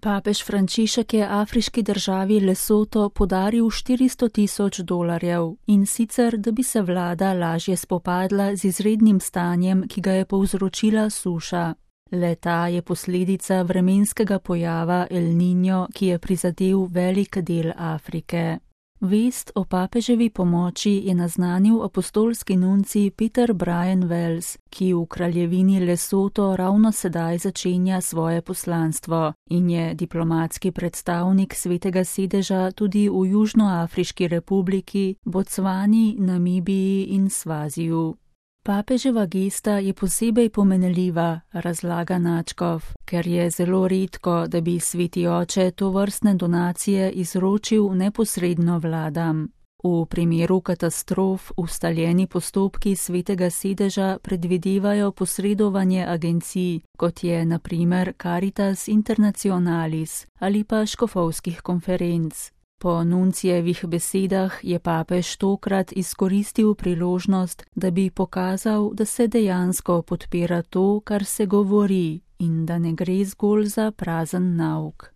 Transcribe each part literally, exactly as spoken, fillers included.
Papež Frančišek je afriški državi Lesoto podaril štiristo tisoč dolarjev, in sicer, da bi se vlada lažje spopadla z izrednim stanjem, ki ga je povzročila suša. Le-ta je posledica vremenskega pojava El Niño, ki je prizadel velik del Afrike. Vest o papeževi pomoči je naznanil apostolski nuncij Peter Brian Wells, ki v kraljevini Lesoto ravno sedaj začenja svoje poslanstvo in je diplomatski predstavnik Svetega sedeža tudi v Južnoafriški republiki, Bocvani, Namibiji in Svaziju. Papeževa gesta je posebej pomenljiva, razlaga Načkov, ker je zelo redko, da bi sveti oče tovrstne donacije izročil neposredno vladam. V primeru katastrof ustaljeni postopki Svetega sedeža predvidevajo posredovanje agencij, kot je na primer Caritas Internationalis ali pa škofovskih konferenc. Po nuncijevih besedah je papež tokrat izkoristil priložnost, da bi pokazal, da se dejansko podpira to, kar se govori, in da ne gre zgolj za prazen nauk.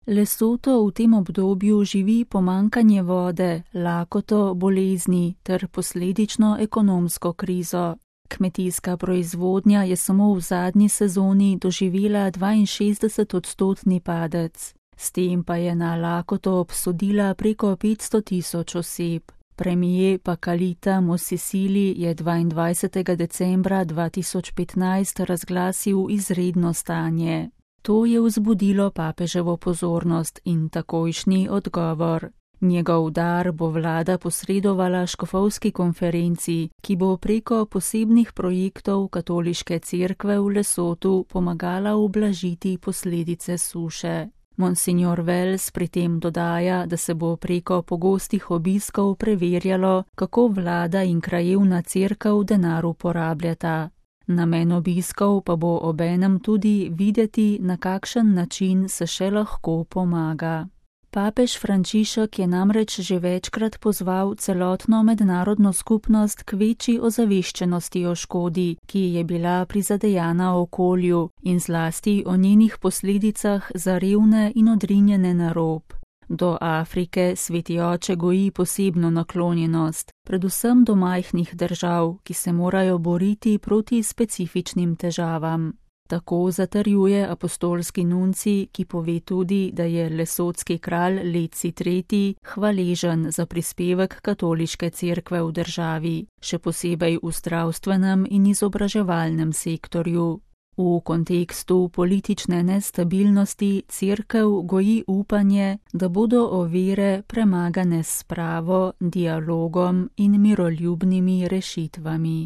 Lesoto v tem obdobju živi pomanjkanje vode, lakoto, bolezni ter posledično ekonomsko krizo. Kmetijska proizvodnja je samo v zadnji sezoni doživela dvainšestdeset odstotni padec. S tem pa je na lakoto obsodila preko petsto tisoč oseb. Premijer Pakalita Mosisili je dvaindvajsetega decembra dva tisoč petnajst razglasil izredno stanje. To je vzbudilo papeževo pozornost in takojšnji odgovor. Njegov dar bo vlada posredovala škofovski konferenci, ki bo preko posebnih projektov katoliške cerkve v Lesotu pomagala ublažiti posledice suše. Monsignor Wells pri tem dodaja, da se bo preko pogostih obiskov preverjalo, kako vlada in krajevna cerkev denar uporabljata. Namen obiskov pa bo obenem tudi videti, na kakšen način se še lahko pomaga. Papež Frančišek je namreč že večkrat pozval celotno mednarodno skupnost k večji ozaveščenosti o škodi, ki je bila prizadejana okolju, in zlasti o njenih posledicah za revne in odrinjene na rob. Do Afrike sveti oče goji posebno naklonjenost, predvsem do majhnih držav, ki se morajo boriti proti specifičnim težavam. Tako zatrjuje apostolski nuncij, ki pove tudi, da je lesotski kralj Letsi tretji hvaležen za prispevek katoliške cerkve v državi, še posebej v zdravstvenem in izobraževalnem sektorju. V kontekstu politične nestabilnosti cerkev goji upanje, da bodo ovire premagane s spravo, dialogom in miroljubnimi rešitvami.